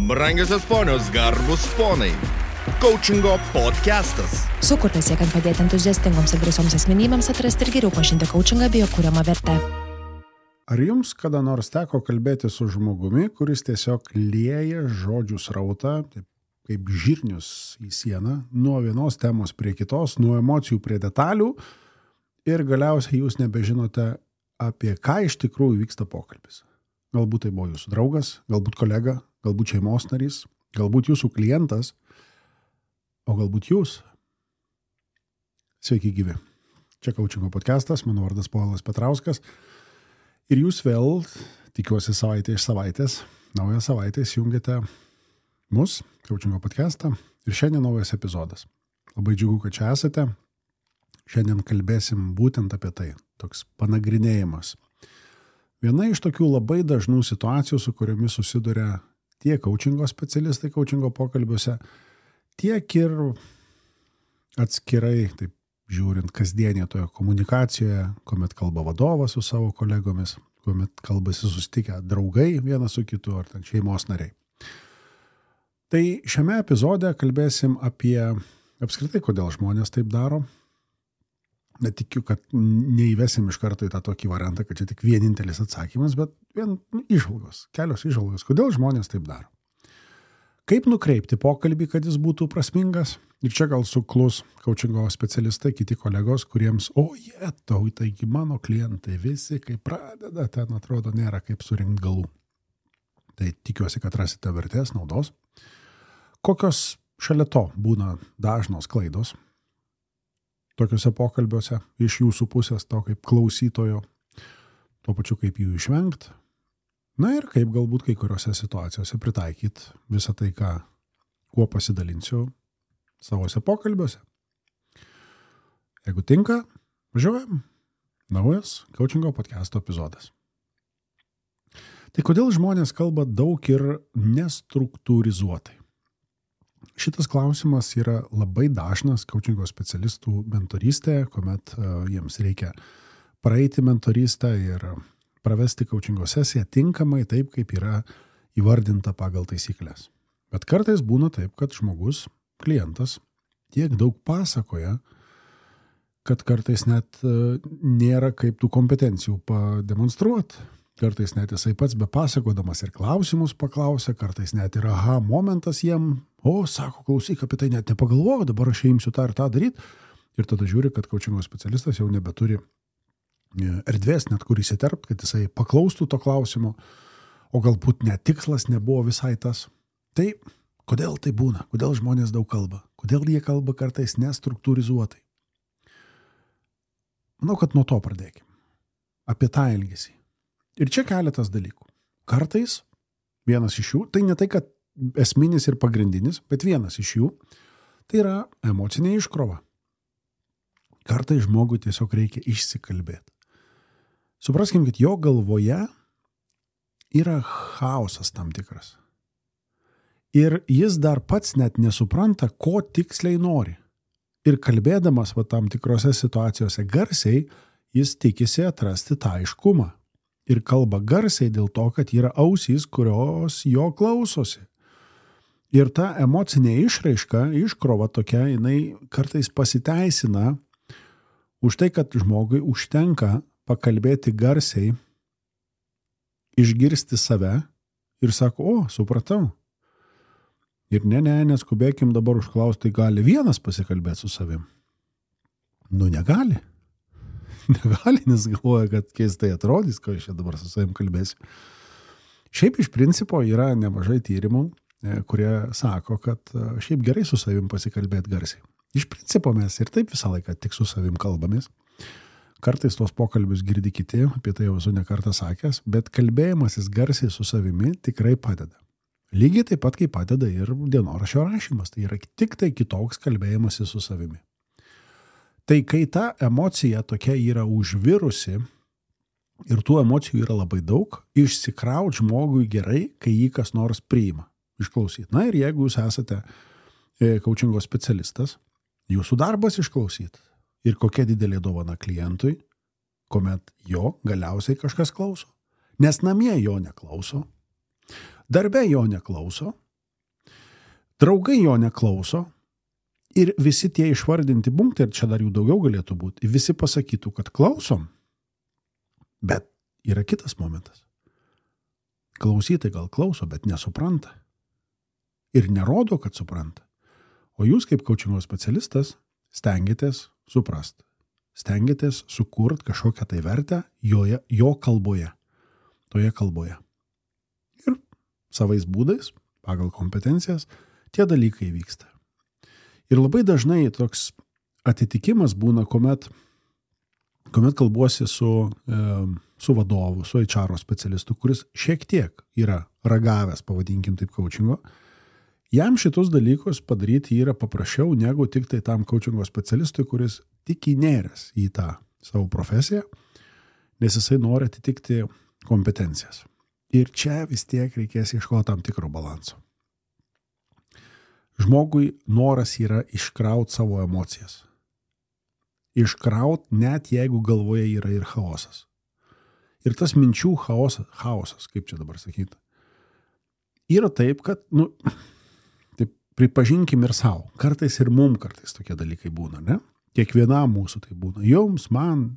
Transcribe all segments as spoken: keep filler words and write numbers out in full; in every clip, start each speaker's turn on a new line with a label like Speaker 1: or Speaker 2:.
Speaker 1: Brangiosios ponios, garbus ponai. Coachingo podcastas.
Speaker 2: Sukurtas siekiant padėti entuziastingoms ir drąsioms asmenybėms atrasti ir geriau pažinti coachingą bei jo kuriamą vertę.
Speaker 3: Ar jums kada nors teko kalbėti su žmogumi, kuris tiesiog lieja žodžių srautą, taip, kaip žirnius į sieną, nuo vienos temos prie kitos, nuo emocijų prie detalių ir galiausiai jūs nebežinote, apie ką iš tikrųjų vyksta pokalbis? Galbūt tai buvo jūsų draugas, galbūt kolega, galbūt šeimos narys, galbūt jūsų klientas, o galbūt jūs. Sveiki gyvi. Čia Coachingo podcastas, mano vardas Povilas Petrauskas. Ir jūs vėl, tikiuosi savaitė iš savaitės, naują savaitę įsijungiate mus, Coachingo podcastą. Ir šiandien naujas epizodas. Labai džiugu, kad čia esate. Šiandien kalbėsim būtent apie tai. Toks panagrinėjimas. Viena iš tokių labai dažnų situacijų, su kuriomis susiduria tiek coachingo specialistai coachingo pokalbiuose, tiek ir atskirai, taip žiūrint, kasdienėje toje komunikacijoje, kuomet kalba vadovas su savo kolegomis, kuomet kalbasi susitikę draugai vienas su kitu ar ten šeimos nariai. Tai šiame epizode kalbėsim apie apskritai, kodėl žmonės taip daro. Netikiu, kad neįvesim iš karto į tą tokį variantą, kad čia tik vienintelis atsakymas, bet vien nu, išvalgos, kelios išvalgos, kodėl žmonės taip daro. Kaip nukreipti pokalbį, kad jis būtų prasmingas? Ir čia gal suklus coachingo specialistai, kiti kolegos, kuriems, o jie, tau, taigi mano klientai visi, kai pradeda, ten atrodo nėra kaip surinkti galų. Tai tikiuosi, kad rasite vertės, naudos. Kokios šalia to būna dažnos klaidos tokiuose pokalbiuose iš jūsų pusės, to kaip klausytojo, tuo pačiu kaip jų išvengti. Na ir kaip galbūt kai kuriuose situacijose pritaikyti visą tai, ką, kuo pasidalinsiu savose pokalbiuose. Jeigu tinka, važiuojam. Naujas Coachingo podcasto epizodas. Tai kodėl žmonės kalba daug ir nestruktūrizuotai? Šitas klausimas yra labai dažnas coachingo specialistų mentorystėje, kuomet uh, jiems reikia praeiti mentorystę ir pravesti coachingo sesiją tinkamai taip, kaip yra įvardinta pagal taisyklės. Bet kartais būna taip, kad žmogus, klientas, tiek daug pasakoja, kad kartais net uh, nėra kaip tų kompetencijų pademonstruoti. Kartais net jisai pats be pasakodamas ir klausimus paklausia, kartais net ir aha momentas jiem, o, sako, klausyk, apie tai net nepagalvoju, dabar aš imsiu tą ir tą daryti. Ir tada žiūri, kad coachingo specialistas jau nebeturi erdvės net kur įsiterpt, kad jisai paklaustų to klausimo, o galbūt net tikslas nebuvo visai tas. Tai kodėl tai būna? Kodėl žmonės daug kalba? Kodėl jie kalba kartais nestruktūrizuotai? Manau, kad nuo to pradėkime. Apie tą elgesį. Ir čia keletas dalykų. Kartais vienas iš jų, tai ne tai, kad esminis ir pagrindinis, bet vienas iš jų, tai yra emocinė iškrova. Kartais žmogui tiesiog reikia išsikalbėti. Supraskim, kad jo galvoje yra chaosas tam tikras. Ir jis dar pats net nesupranta, ko tiksliai nori. Ir kalbėdamas va tam tikrose situacijose garsiai, jis tikisi atrasti tą aiškumą. Ir kalba garsiai dėl to, kad yra ausys, kurios jo klausosi. Ir ta emocinė išraiška, iškrova tokia, jinai kartais pasiteisina už tai, kad žmogui užtenka pakalbėti garsiai, išgirsti save ir sako, o, supratau. Ir ne, ne, neskubėkim dabar užklausti, gali vienas pasikalbėti su savim. Nu, negali. Negali, nes galvoja, kad keistai atrodys, ko aš čia dabar su savim kalbėsiu. Šiaip iš principo yra nemažai tyrimų, kurie sako, kad šiaip gerai su savim pasikalbėti garsiai. Iš principo mes ir taip visą laiką tik su savim kalbamės. Kartais tos pokalbius girdi kiti, apie tai jau esu ne kartą sakęs, bet kalbėjimasis garsiai su savimi tikrai padeda. Lygiai taip pat, kaip padeda ir dienoraščio rašymas. Tai yra tik tai kitoks kalbėjimasis su savimi. Tai kai ta emocija tokia yra užvirusi ir tų emocijų yra labai daug, išsikraut žmogui gerai, kai jį kas nors priima, išklausyti. Na ir jeigu jūs esate coachingo specialistas, jūsų darbas išklausyti. Ir kokia didelė dovana klientui, kuomet jo galiausiai kažkas klauso. Nes namie jo neklauso, darbe jo neklauso, draugai jo neklauso ir visi tie išvardinti punktai, ir čia dar jų daugiau galėtų būti, visi pasakytų, kad klausom, bet yra kitas momentas. Klausytai gal klauso, bet nesupranta. Ir nerodo, kad supranta. O jūs kaip coachingo specialistas stengiatės suprast. Stengiatės sukurt kažkokią tai vertę joje, jo kalboje. Toje kalboje. Ir savais būdais, pagal kompetencijas, tie dalykai vyksta. Ir labai dažnai toks atitikimas būna, kuomet, kuomet kalbuosi su, e, su vadovu, su H R specialistu, kuris šiek tiek yra ragavęs, pavadinkim taip, coachingo. Jam šitus dalykus padaryti yra paprasčiau negu tik tai tam coachingo specialistui, kuris tik įnėręs į tą savo profesiją, nes jisai nori atitikti kompetencijas. Ir čia vis tiek reikės ieškoti tam tikro balanso. Žmogui noras yra iškraut savo emocijas. Iškraut net jeigu galvoje yra ir chaosas. Ir tas minčių chaosas, chaosas kaip čia dabar sakyti, yra taip, kad, nu, taip pripažinkim ir savo. Kartais ir mum kartais tokie dalykai būna, ne? Kiekvienam mūsų tai būna. Jums, man,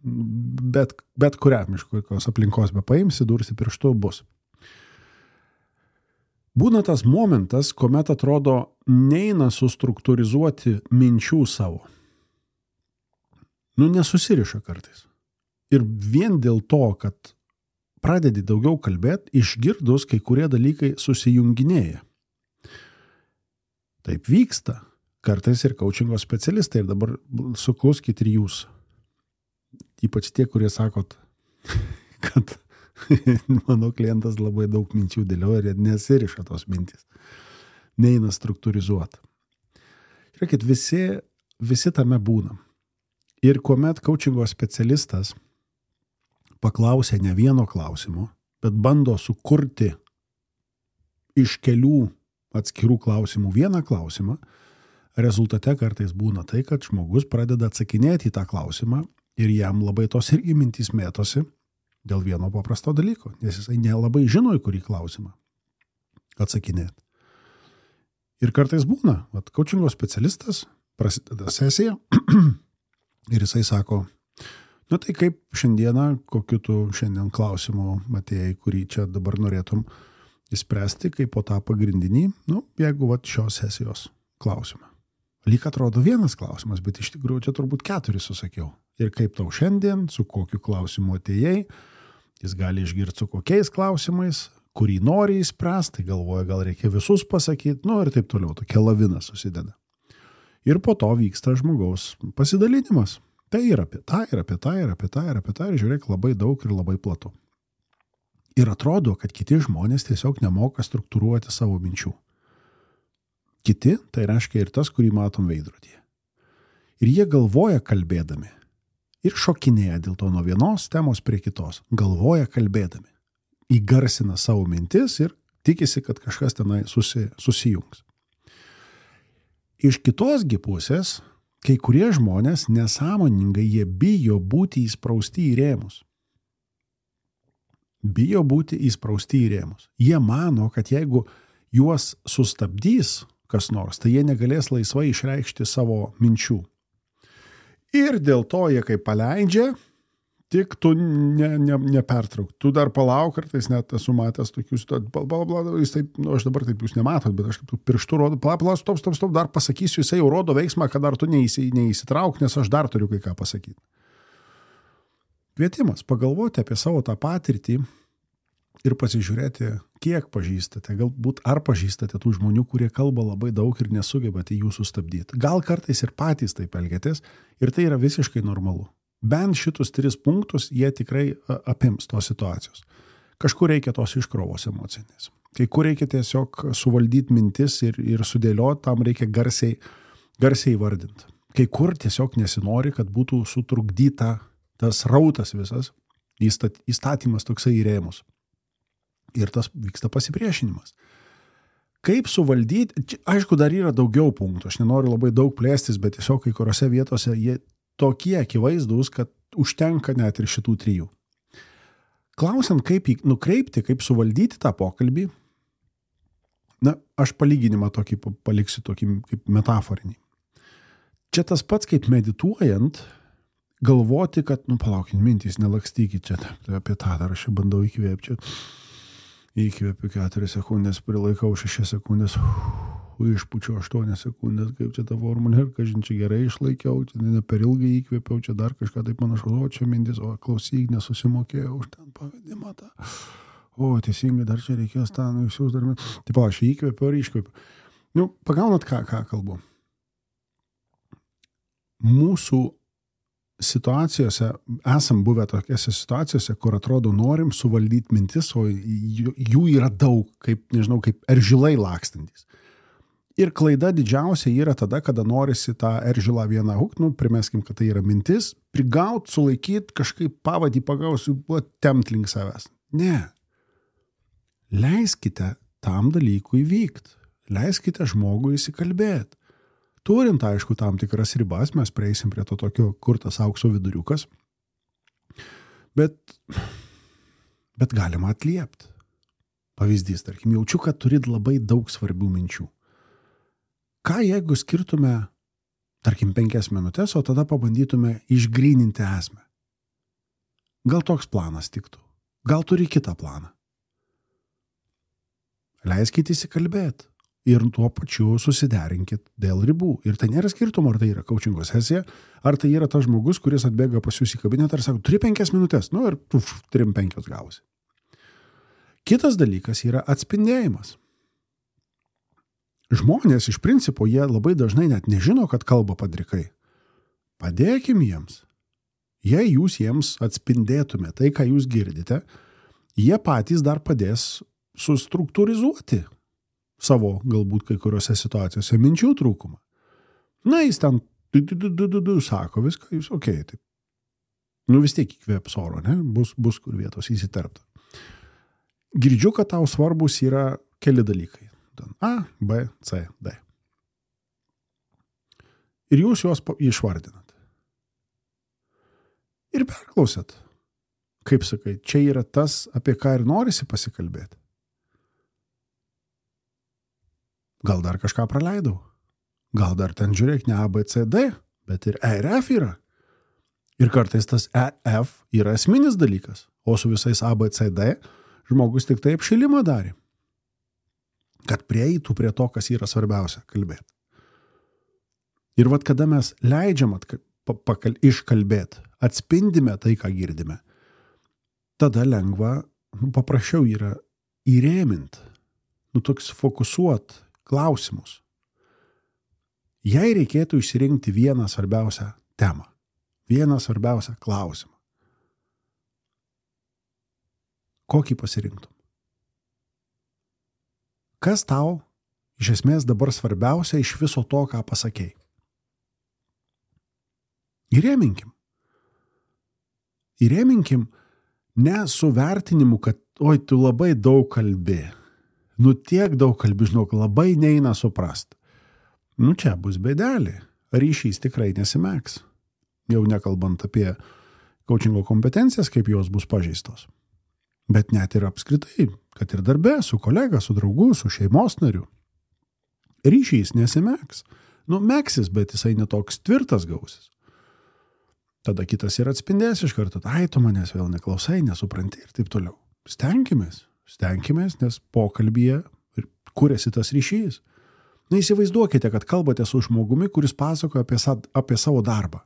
Speaker 3: bet, bet kuriam iš kokios aplinkos be paimsi, dursi pirštu bus. Būna tas momentas, kuomet atrodo neina sustruktūrizuoti minčių savo. Nu, nesusiriša kartais. Ir vien dėl to, kad pradedi daugiau kalbėti, išgirdus kai kurie dalykai susijunginėja. Taip vyksta. Kartais ir coachingo specialistai. Ir dabar sukluskit ir jūs. Ypač tie, kurie sakot, kad mano klientas labai daug minčių dėlioja ir nesiriša tos mintys. Neina struktūrizuoti. Žiūrėkit, visi, visi tame būnam. Ir kuomet coachingo specialistas paklausia ne vieno klausimo, bet bando sukurti iš kelių atskirų klausimų vieną klausimą, rezultate kartais būna tai, kad žmogus pradeda atsakinėti į tą klausimą ir jam labai tos irgi mintys mėtosi dėl vieno paprasto dalyko, nes jisai nelabai žino, į kurį klausimą atsakinėti. Ir kartais būna, vat, coachingo specialistas, prasideda sesija ir jisai sako, nu tai kaip šiandieną, kokiu tu šiandien klausimu matėjai, kurį čia dabar norėtum įspręsti, kaip po tą pagrindinį, nu, jeigu vat šios sesijos klausimą. Lyg atrodo vienas klausimas, bet iš tikrųjų čia turbūt keturis susakiau. Ir kaip tau šiandien, su kokiu klausimu atėjai, jis gali išgirti su kokiais klausimais, kurį nori įspręsti, tai galvoja, gal reikia visus pasakyti, nu ir taip toliau, tokia lavina susideda. Ir po to vyksta žmogaus pasidalinimas. Tai yra apie tą, ir apie tą, ir apie tą, ir apie tą, ir žiūrėk, labai daug ir labai platu. Ir atrodo, kad kiti žmonės tiesiog nemoka struktūruoti savo minčių. Kiti, tai reiškia ir tas, kurį matom veidrodyje. Ir jie galvoja kalbėdami. Ir šokinėja dėl to nuo vienos temos prie kitos. Galvoja kalbėdami. Įgarsina savo mintis ir tikisi, kad kažkas tenai susi, susijungs. Iš kitosgi pusės, kai kurie žmonės nesąmoningai jie bijo būti įsprausti į rėmus. Bijo būti įsprausti į rėmus. Jie mano, kad jeigu juos sustabdys kas nors, tai jie negalės laisvai išreikšti savo minčių. Ir dėl to jie kaip paleidžia, tik tu ne, ne, nepertrauk. Tu dar palauk, kartais net esu matęs tokius, bla, bla, bla, jis taip, nu, aš dabar taip jūs nematot, bet aš taip pirštu rodo, pala, pala, stop, stop, stop, dar pasakysiu, jisai jau rodo veiksmą, kad dar tu neįsi, neįsitrauk, nes aš dar turiu kai ką pasakyti. Kvietimas pagalvoti apie savo tą patirtį ir pasižiūrėti, kiek pažįstate, galbūt ar pažįstate tų žmonių, kurie kalba labai daug ir nesugebate jų sustabdyti. Gal kartais ir patys taip elgiatės ir tai yra visiškai normalu. Bent šitus tris punktus jie tikrai apims tos situacijos. Kažkur reikia tos iškrovos emocinės. Kai kur reikia tiesiog suvaldyti mintis ir, ir sudėlioti, tam reikia garsiai, garsiai vardinti. Kai kur tiesiog nesinori, kad būtų sutrukdyta tas rautas visas, įstatymas toksai į rėmus. Ir tas vyksta pasipriešinimas. Kaip suvaldyti, čia, aišku, dar yra daugiau punktų, aš nenoriu labai daug plėstis, bet tiesiog kai kuriuose vietose jie tokie akivaizdūs, kad užtenka net ir šitų trijų. Klausiant, kaip jį nukreipti, kaip suvaldyti tą pokalbį, Na, aš palyginimą tokį paliksiu tokį kaip metaforinį. Čia tas pats, kaip medituojant, galvoti, kad, nu, palaukit, mintys, nelakstykit čia, apie tą dar aš bandau įkvėpti. Įkvėpiu keturias sekundės, prilaikau šešias sekundės, išpučiu aštuonias sekundės, kaip čia ta formulė, ir kažin čia gerai išlaikiau, čia ne per ilgai įkvėpiau, čia dar kažką taip panašu, o čia mintis, o klausyk, nesusimokėjau už ten pavedimą tą. O, teisingai, dar čia reikės tą, nu, jūs dar... Taip, aš įkvėpiu ar iškvėpiu. Nu, pagaunat, ką, ką kalbu. Mūsų situacijose, esam buvę tokiose situacijose, kur atrodo norim suvaldyti mintis, o jų yra daug, kaip, nežinau, kaip eržilai lakstantis. Ir klaida didžiausia yra tada, kada norisi tą eržilą vieną hukt, nu, primeskim, kad tai yra mintis, prigaut, sulaikyt, kažkaip pavadį pagausiu, tempt link savęs. Ne. Leiskite tam dalykui vykti. Leiskite žmogui įsikalbėti. Turint, aišku, tam tikras ribas, mes prieisim prie to tokio, kur tas aukso viduriukas. Bet, bet galima atliepti. Pavyzdys, tarkim, jaučiu, kad turit labai daug svarbių minčių. Ką jeigu skirtume, tarkim, penkias minutės, o tada pabandytume išgryninti esmę? Gal toks planas tiktų? Gal turi kitą planą? Leiskite įsikalbėti ir tuo pačiu susiderinkit dėl ribų. Ir tai nėra skirtumo, ar tai yra coachingo sesija, ar tai yra tas žmogus, kuris atbėga pas jūs į kabinetą ir sako, turi penkias minutės, nu ir uf, trim penkios gausi. Kitas dalykas yra atspindėjimas. Žmonės iš principo, jie labai dažnai net nežino, kad kalba padrikai. Padėkim jiems. Jei jūs jiems atspindėtume tai, ką jūs girdite, jie patys dar padės sustruktūrizuoti savo, galbūt kai kuriuose situacijose, minčių trūkumą. Na, jis ten du, du, du, du, du, du, sako viską, jūs okei, okay, taip. Nu, vis tiek įkvėps oro, ne? Bus, bus kur vietos įsiterpta. Girdžiu, kad tau svarbus yra keli dalykai. A, B, C, D. Ir jūs juos išvardinat. Ir perklausėt. Kaip sakai, čia yra tas, apie ką ir norisi pasikalbėti. Gal dar kažką praleidau? Gal dar ten žiūrėk ne A, B, C, D, bet ir E ir F yra. Ir kartais tas E, F yra esminis dalykas, o su visais A, B, C, D žmogus tik taip šilimą darė. Kad prieitų prie to, kas yra svarbiausia, kalbėti. Ir vat kada mes leidžiam at, pakal, iškalbėti, atspindime tai, ką girdime, tada lengva, nu, paprasčiau yra įrėmint, nu, toks fokusuot klausimus. Jei reikėtų išsirinkti vieną svarbiausią temą, vieną svarbiausią klausimą, kokį pasirinktum? Kas tau iš esmės dabar svarbiausia iš viso to, ką pasakei? Įrėminkim. Įrėminkim ne su vertinimu, kad oi, tu labai daug kalbi. Nu tiek daug kalbi, žinok, labai neina suprast. Nu čia bus bėdelė. Ryšys tikrai nesimeks. Jau nekalbant apie coachingo kompetencijas, kaip jos bus pažeistos. Bet net ir apskritai, kad ir darbe, su kolega, su draugu, su šeimos nariu. Ryšys nesimeks. Nu, meksis, bet jisai netoks tvirtas gausis. Tada kitas ir atspindės iš karto, ai, tu manęs vėl neklausai, nesupranti ir taip toliau. Stenkimės. Stenkimės, nes pokalbyje kuriasi tas ryšys. Na, įsivaizduokite, kad kalbate su žmogumi, kuris pasakoja apie, apie savo darbą.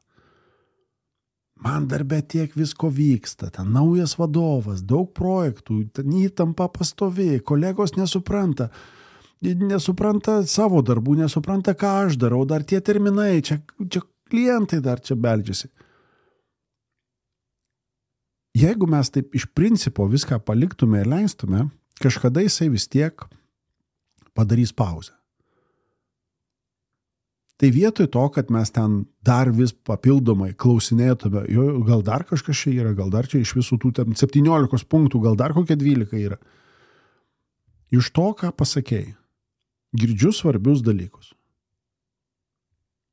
Speaker 3: Man darbe tiek visko vyksta, ten naujas vadovas, daug projektų, ten įtampa pastovi, kolegos nesupranta, nesupranta savo darbų, nesupranta, ką aš darau, dar tie terminai, čia, čia klientai dar čia beldžiasi. Jeigu mes taip iš principo viską paliktume ir leistume, kažkada jisai vis tiek padarys pauzę. Tai vietoj to, kad mes ten dar vis papildomai klausinėtume, jo, gal dar kažkas čia yra, gal dar čia iš visų tų ten septyniolikos punktų, gal dar kokie dvylika yra. Iš to, ką pasakėjai, girdžiu svarbius dalykus.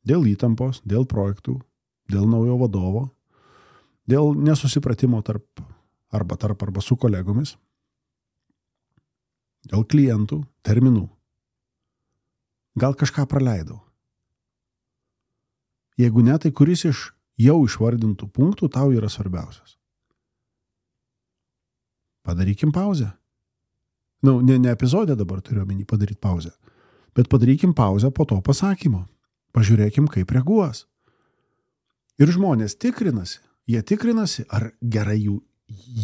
Speaker 3: Dėl įtampos, dėl projektų, dėl naujo vadovo, dėl nesusipratimo tarp arba tarp arba su kolegomis, dėl klientų, terminų, Gal kažką praleidau. Jeigu ne, tai kuris iš jau išvardintų punktų tau yra svarbiausias? Padarykim pauzę. Nu, ne, ne epizodę dabar turiu omeny padaryti pauzę, bet padarykim pauzę po to pasakymo. Pažiūrėkim, kaip reaguos. Ir žmonės tikrinasi, jie tikrinasi, ar gerai jų,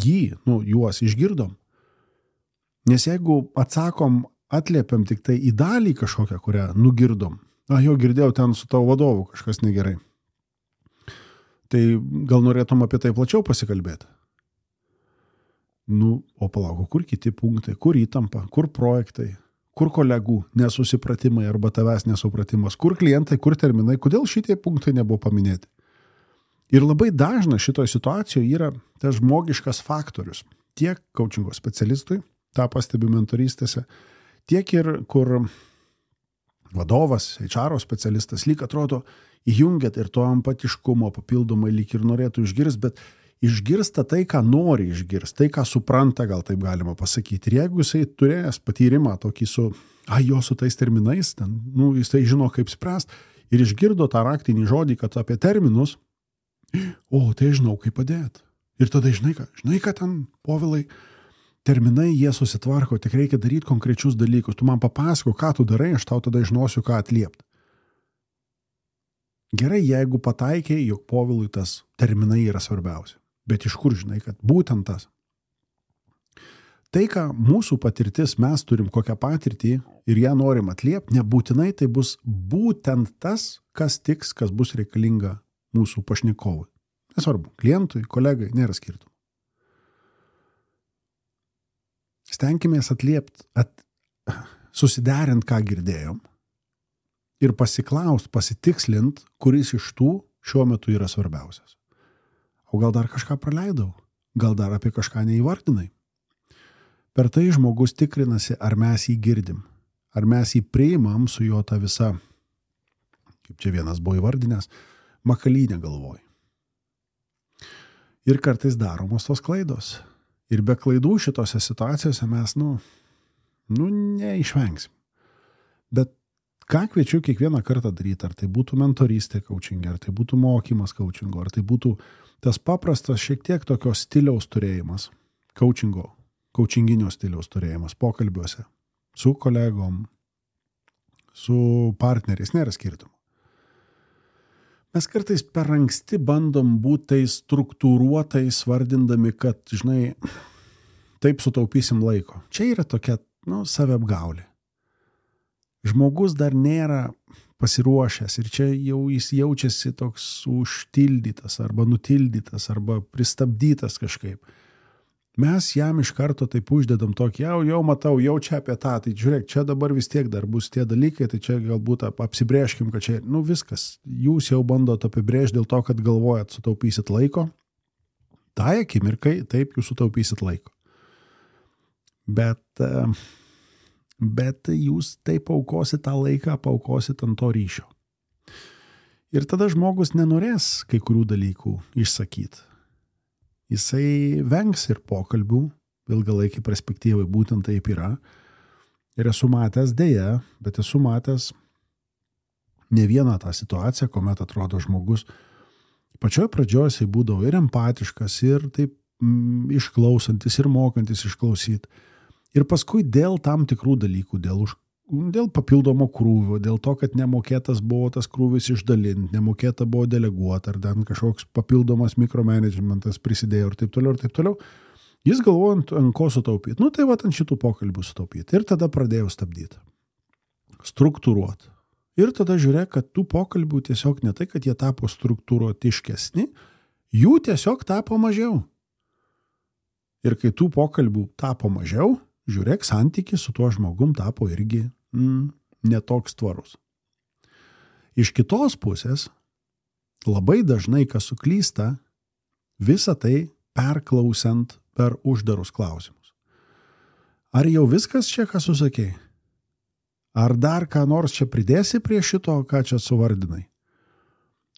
Speaker 3: jį, nu, juos išgirdom. Nes jeigu atsakom, atliepiam tik tai į dalį kažkokią, kurią nugirdom, na, jo girdėjau ten su tavo vadovu kažkas negerai, tai gal norėtum apie tai plačiau pasikalbėti. Nu, o palauk, kur kiti punktai, kur įtampa, kur projektai, kur kolegų nesusipratimai arba tavęs nesupratimas, kur klientai, kur terminai, kodėl šitie punktai nebuvo paminėti. Ir labai dažna šitoje situacijoje yra tas žmogiškas faktorius. Tiek coachingo specialistui, tą pastebiu mentorystėse, tiek ir kur vadovas, H R specialistas lyg atrodo įjungiat ir to empatiškumo papildomai lyg ir norėtų išgirsti, bet išgirsta tai, ką nori išgirsti, tai, ką supranta, gal taip galima pasakyti. Ir jeigu jisai turėjęs patyrimą tokį su, ai, jo su tais terminais, ten, nu, jisai žino, kaip spręst, ir išgirdo tą raktinį žodį, kad apie terminus, o, tai žinau, kaip padėti. Ir tada žinai, ką, žinai, ką ten, Povilai, terminai, jie susitvarko, tik reikia daryti konkrečius dalykus. Tu man papasako, ką tu darai, aš tau tada žinosiu, ką atliepti. Gerai, jeigu pataikiai, jog Povilui tas terminai yra svarbiausia. Bet iš kur žinai, kad būtent tas. Tai, ką mūsų patirtis, mes turim kokią patirtį ir ją norim atliepti, nebūtinai tai bus būtent tas, kas tiks, kas bus reikalinga mūsų pašnekovui. Nesvarbu, klientui, kolegai, nėra skirtumų. Stenkimės atliepti, at, susiderint, ką girdėjom ir pasiklaust, pasitikslint, kuris iš tų šiuo metu yra svarbiausias. O gal dar kažką praleidau? Gal dar apie kažką neįvardinai? Per tai žmogus tikrinasi, ar mes jį girdim, ar mes jį priimam su jo ta visa, kaip čia vienas buvo įvardinęs, makalynė galvoj. Ir kartais daromos tos klaidos. Ir be klaidų šitose situacijose mes, nu, nu neišvengsim. Bet ką kviečiu kiekvieną kartą daryti, ar tai būtų mentorystė coaching, ar tai būtų mokymas coachingo, ar tai būtų tas paprastas šiek tiek tokios stiliaus turėjimas, coachingo, coachinginio stiliaus turėjimas pokalbiuose, su kolegom, su partneriais, nėra skirtumų. Mes kartais per anksti bandom būti tais struktūruotais, vardindami, kad, žinai, taip sutaupysim laiko. Čia yra tokia, nu, saviapgaulė. Žmogus dar nėra pasiruošęs ir čia jau jis jaučiasi toks užtildytas arba nutildytas arba pristabdytas kažkaip. Mes jam iš karto taip uždedam tokį, jau, jau matau, jau čia apie tą, tai žiūrėk, čia dabar vis tiek dar bus tie dalykai, tai čia galbūt apsibrėžkim, kad čia, nu viskas, jūs jau bandot apibrėžti dėl to, kad galvojat, sutaupysit laiko. Tai akimirkai, taip, jūs sutaupysit laiko. Bet... Uh, bet jūs taip paukosit tą laiką, paukosit ant to ryšio. Ir tada žmogus nenorės kai kurių dalykų išsakyti. Jisai vengs ir pokalbių, ilgalaikį perspektyvai būtent taip yra. Ir esu matęs dėja, bet esu matęs ne vieną tą situaciją, kuomet atrodo žmogus pačioj pradžioj jisai būdavo ir empatiškas, ir taip mm, išklausantis, ir mokantis išklausyti. Ir paskui dėl tam tikrų dalykų, dėl, už, dėl papildomo krūvio, dėl to, kad nemokėtas buvo tas krūvis išdalinti, nemokėta buvo deleguoti, ar ten kažkoks papildomas mikromanagementas prisidėjo ir taip toliau, ir taip toliau, jis galvoja, ant, ant ko sutaupyti. Nu, tai va, ant šitų pokalbių sutaupyti. Ir tada pradėjau stabdyti. Struktūruoti. Ir tada žiūrėk, kad tų pokalbių tiesiog ne tai, kad jie tapo struktūruotiškesni, jų tiesiog tapo mažiau. Ir kai tų pokalbių tapo mažiau, žiūrėk, santykis su tuo žmogum tapo irgi mm, netoks tvarus. Iš kitos pusės, labai dažnai, kas suklysta, visą tai perklausiant per uždarus klausimus. Ar jau viskas čia, ką susakei? Ar dar ką nors čia pridėsi prie šito, ką čia suvardinai?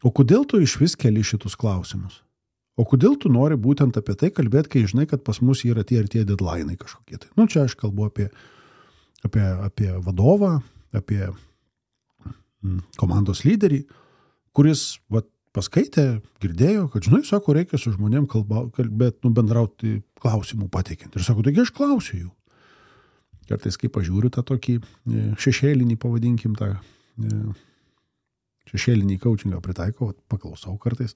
Speaker 3: O kodėl tu iš vis keli šitus klausimus? O kodėl tu nori būtent apie tai kalbėti, kai žinai, kad pas mus yra tie ir tie deadline'ai kažkokie tai? Nu, čia aš kalbu apie, apie, apie vadovą, apie komandos lyderį, kuris vat, paskaitė, girdėjo, kad, žinai, sako, reikia su žmonėm kalba, kalbėti, nu, bendrauti klausimų pateikiant. Ir sako, taigi aš klausiu jų. Kartais, kai pažiūriu tą tokį šešėlinį, pavadinkim, tą šešėlinį coachingą pritaikau, paklausau kartais.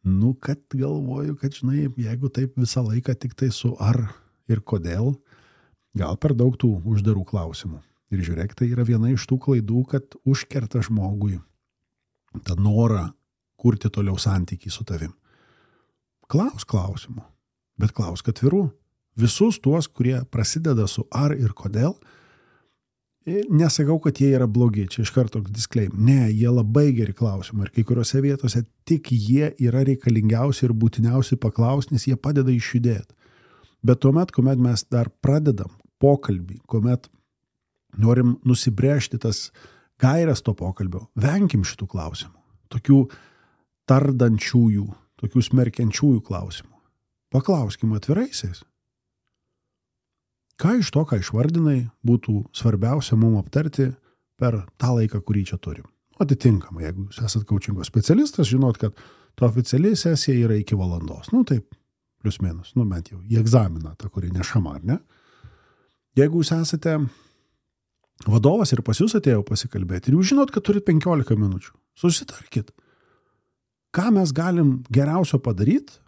Speaker 3: Nu, kad galvoju, kad, žinai, jeigu taip visą laiką tik tai su ar ir kodėl, gal per daug tų uždarų klausimų. Ir žiūrėk, tai yra viena iš tų klaidų, kad užkerta žmogui tą norą kurti toliau santykį su tavim. Klaus klausimų, bet klausk atvirų. Visus tuos, kurie prasideda su ar ir kodėl, nesakau, kad jie yra blogi, čia iš karto disclaimer. Ne, jie labai geri klausimai ir kai kuriuose vietose tik jie yra reikalingiausi ir būtiniausi paklausti, nes jie padeda išjudėti. Bet tuomet, kuomet mes dar pradedam pokalbį, kuomet norim nusibrėžti tas gairias to pokalbio, venkim šitų klausimų, tokių tardančiųjų, tokių smerkiančiųjų klausimų. Paklauskim atviraisiais. Ką iš to, ką išvardinai, būtų svarbiausia mums aptarti per tą laiką, kurį čia turim. Atitinkamai, jeigu jūs esat coachingo specialistas, žinot, kad to oficiali sesija yra iki valandos. Nu taip, plius minus, nu bent jau į egzaminą, tą, kurį nešama, ar ne? Jeigu jūs esate vadovas ir pas jūs atėjo pasikalbėti ir jūs žinot, kad turit penkiolika minučių, susitarkit. Ką mes galim geriausio padaryti,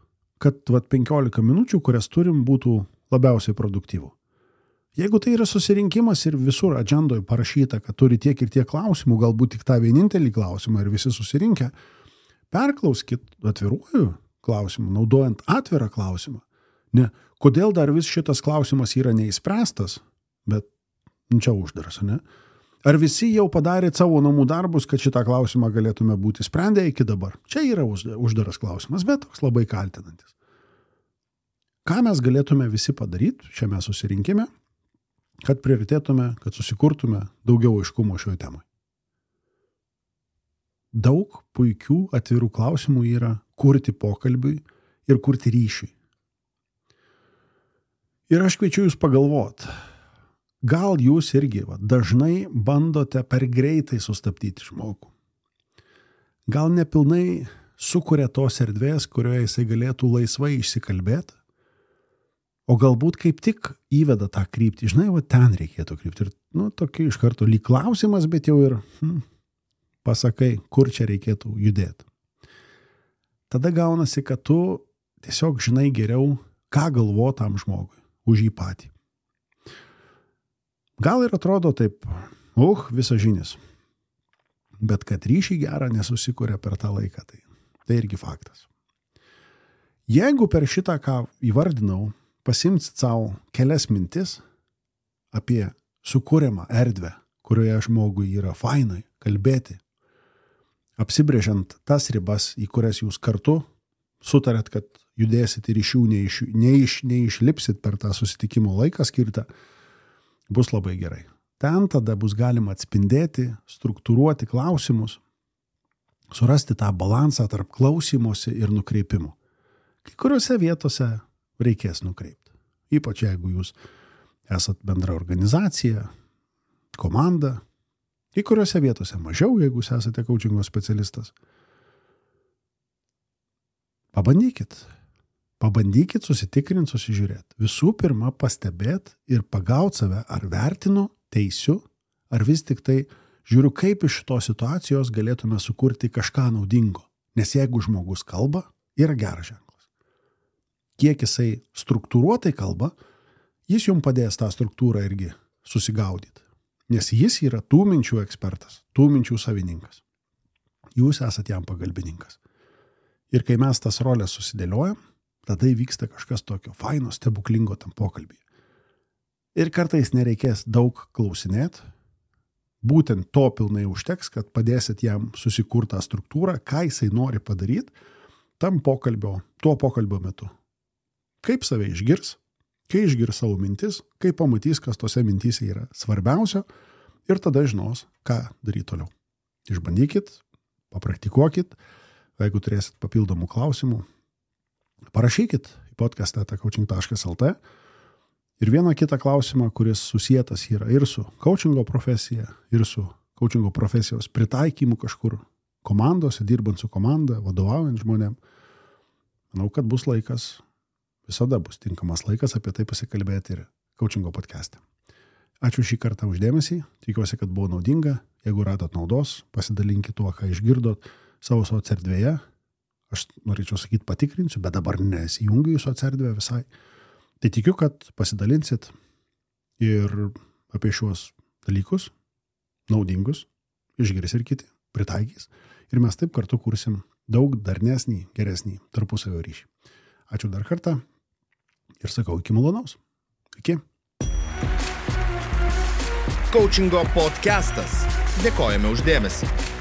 Speaker 3: kad vat, penkiolika minučių, kurias turim, būtų labiausiai produktyvų. Jeigu tai yra susirinkimas ir visur agendoje parašyta, kad turi tiek ir tiek klausimų, galbūt tik tą vienintelį klausimą ir visi susirinkę, perklauskit atviruoju klausimu, naudojant atvirą klausimą. Ne, kodėl dar vis šitas klausimas yra neįspręstas, bet čia uždaras, ne? Ar visi jau padarėt savo namų darbus, kad šitą klausimą galėtume būti sprendę iki dabar? Čia yra uždaras klausimas, bet toks labai kaltinantis. Ką mes galėtume visi padaryti šiame susirinkime, kad prioritėtume, kad susikurtume daugiau aiškumo šioje temoje? Daug puikių atvirų klausimų yra kurti pokalbiui ir kurti ryšiui. Ir aš kviečiu jūs pagalvoti, gal jūs irgi va, dažnai bandote per greitai sustabdyti žmogų. Gal nepilnai sukuria tos erdvės, kurioje jisai galėtų laisvai išsikalbėti, o galbūt kaip tik įveda tą kryptį. Žinai, va ten reikėtų krypti. Ir, nu, tokia iš karto lyg klausimas, bet jau ir hm, pasakai, kur čia reikėtų judėti. Tada gaunasi, kad tu tiesiog žinai geriau, ką galvo tam žmogui už jį patį. Gal ir atrodo taip, uh, visažinis. Bet kad ryšį gerą nesusikuria per tą laiką, tai, tai irgi faktas. Jeigu per šitą, ką įvardinau, pasimsit savo kelias mintis apie sukūriamą erdvę, kurioje žmogui yra fainai kalbėti, apsibrėžiant tas ribas, į kurias jūs kartu sutarėt, kad judėsit ir iš jų neiš, neiš, neišlipsit per tą susitikimo laiką skirtą, bus labai gerai. Ten tada bus galima atspindėti, struktūruoti klausimus, surasti tą balansą tarp klausymosi ir nukreipimo. Kai kuriuose vietose reikės nukreipti. Ypač jeigu jūs esat bendra organizacija, komanda. Kai kuriuose vietose mažiau, jeigu jūs esate coachingo specialistas. Pabandykit. Pabandykit susitikrinti, susižiūrėti. Visų pirma, pastebėti ir pagauti save, ar vertinu, teisiu, ar vis tik tai žiūriu, kaip iš šitos situacijos galėtume sukurti kažką naudingo. Nes jeigu žmogus kalba, yra geras ženklas. Kiek jisai struktūruotai kalba, jis jums padės tą struktūrą irgi susigaudyti. Nes jis yra tų minčių ekspertas, tų minčių savininkas. Jūs esat jam pagalbininkas. Ir kai mes tas rolės susidėliojam, tada įvyksta kažkas tokio faino, stebuklingo tam pokalbį. Ir kartais nereikės daug klausinėti, būtent to pilnai užteks, kad padėsit jam susikurti tą struktūrą, ką jisai nori padaryti tam pokalbio, tuo pokalbio metu. Kaip save išgirs, kai išgirs savo mintis, kai pamatys, kas tose mintyse yra svarbiausio ir tada žinos, ką daryti toliau. Išbandykit, papraktikuokit, jeigu turėsit papildomų klausimų, parašykit į podcastą eta coaching taškas lt ir vieną kitą klausimą, kuris susietas yra ir su coachingo profesija, ir su coachingo profesijos pritaikymų kažkur komandose, dirbant su komanda, vadovaujant žmonėm. Manau, kad bus laikas, visada bus tinkamas laikas apie tai pasikalbėti ir coachingo podcast'e. Ačiū šį kartą uždėmesį, tikiuosi, kad buvo naudinga. Jeigu radot naudos, pasidalinkit tuo, ką išgirdot savo socierdvėje. Aš norėčiau sakyti patikrinsiu, bet dabar nesijungiu į socierdvę visai. Tai tikiu, kad pasidalinsit ir apie šiuos dalykus, naudingus, išgirs ir kiti, pritaikys. Ir mes taip kartu kursim daug darnesnį, geresnį tarpusavio ryšį. Ačiū dar kartą ir sakau iki malonaus. Iki.
Speaker 1: Coachingo podcastas. Dėkojame už dėmesį.